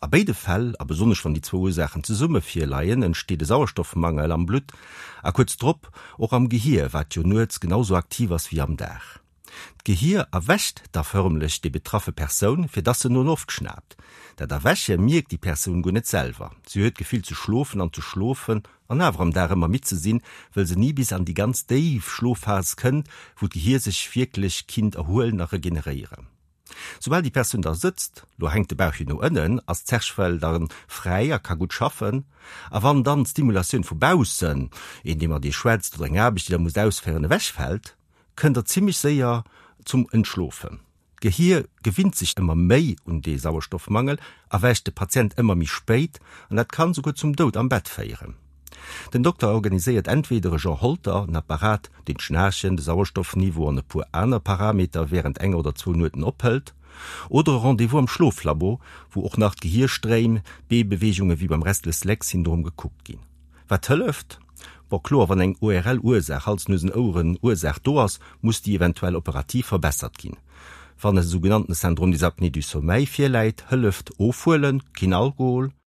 A béide Fäll, a besonnesch wann déi zwou Ursaachen zesumme virleien, entsteet e Sauerstoffmangel am Blutt a kuerz drop och am Gehier, wat jo nuets genau sou aktiv ass wéi am Dag. D'Gehier erwächt da förmlech déi betraffe Persoun, fir dass se no Loft schnaapt. Dat Erwäche mierkt déi Persoun guer net selwer. Si huet d'Gefill ze schlofen an ze schlofen an awer am Dag ëmmer midd ze sinn, wëll se ni bis an déi ganz déif Schlofphas kënnt, wou d'Gehier sech wierklech kinnt erhuelen a regeneréieren. Soubal déi Persoun da sëtzt, lo hänkt de Bauch jo no ënnen, ass d'Zerchfell da fräi a ka gutt schaffen. A wann dann d'Stimulatioun vu baussen, een dee mat iech schwätzt oder eng Aarbecht déi der musst ausféieren, ewechfält, kënnt der zimmlech séier zum Entschlofen. D'Gehier gewinnt sech ëmmer méi un dee Sauerstoffmangel, erwächt de Patient ëmmer méi spéit an dat kann souguer zum Doud am Bett féieren. Den Dokter organiséiert entweder e Jean Holter, en Apparat, deen d'Schnaarchen, de Sauerstoffniveau an e puer aner Parameter wärend enger oder zwou Nueten ophëlt, oder e Rendez-vous am Schloflabo, wou och nach d'Gehierstréim, d'Beebeweegunge wéi beim Restless-Legs-Syndrom gekuckt ginn. Wat hëlleft? Bon, kloer, wann eng ORL-Ursaach, Hals-Nuesen-Oueren Ursaach, do ass, muss déi eventuell operativ verbessert ginn. Wann e sougenannten Syndrome des apnées du sommeil virläit, hëlleft ofhuelen, keen Alkohol.